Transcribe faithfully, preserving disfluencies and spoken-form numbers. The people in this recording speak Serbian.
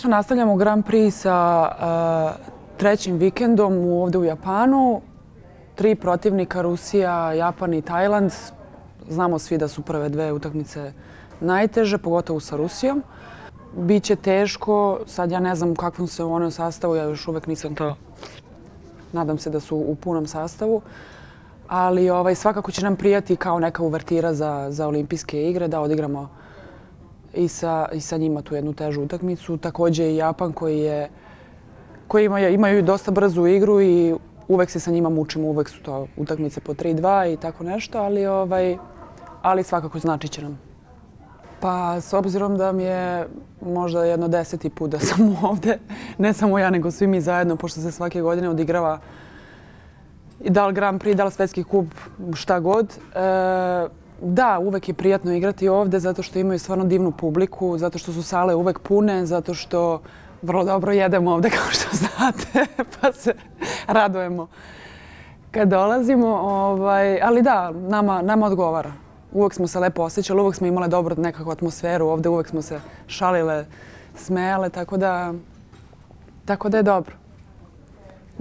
Nastavljamo Grand Prix sa uh, trećim vikendom ovde u Japanu. Tri protivnika, Rusija, Japan i Tajland. Znamo svi da su prve dve utakmice najteže, pogotovo sa Rusijom. Biće teško, sad ja ne znam u kakvom se u onom sastavu, ja još uvek nisam to. Nadam se da su u punom sastavu. Ali ovaj, svakako će nam prijati kao neka uvertira za, za olimpijske igre, da odigramo i sa, i sa njima tu jednu težu utakmicu. Takođe i Japan koji, je, koji ima, imaju dosta brzu igru i uvek se sa njima mučimo, uvek su to utakmice po tri dva i tako nešto, ali, ovaj, ali svakako znači će nam. Pa s obzirom da mi je možda jedno deseti put da sam ovde, ne samo ja nego svi mi zajedno, pošto se svake godine odigrava da li Grand Prix, da li svetski kup, šta god. E, da, uvek je prijatno igrati ovde zato što imaju stvarno divnu publiku, zato što su sale uvek pune, zato što vrlo dobro jedemo ovde kao što znate, pa se radujemo kad dolazimo. Ovaj, ali da, nama, nama odgovara. Uvek smo se lepo osjećali, uvek smo imale dobru nekakvu atmosferu ovde, uvek smo se šalile, smejale, tako da, tako da je dobro.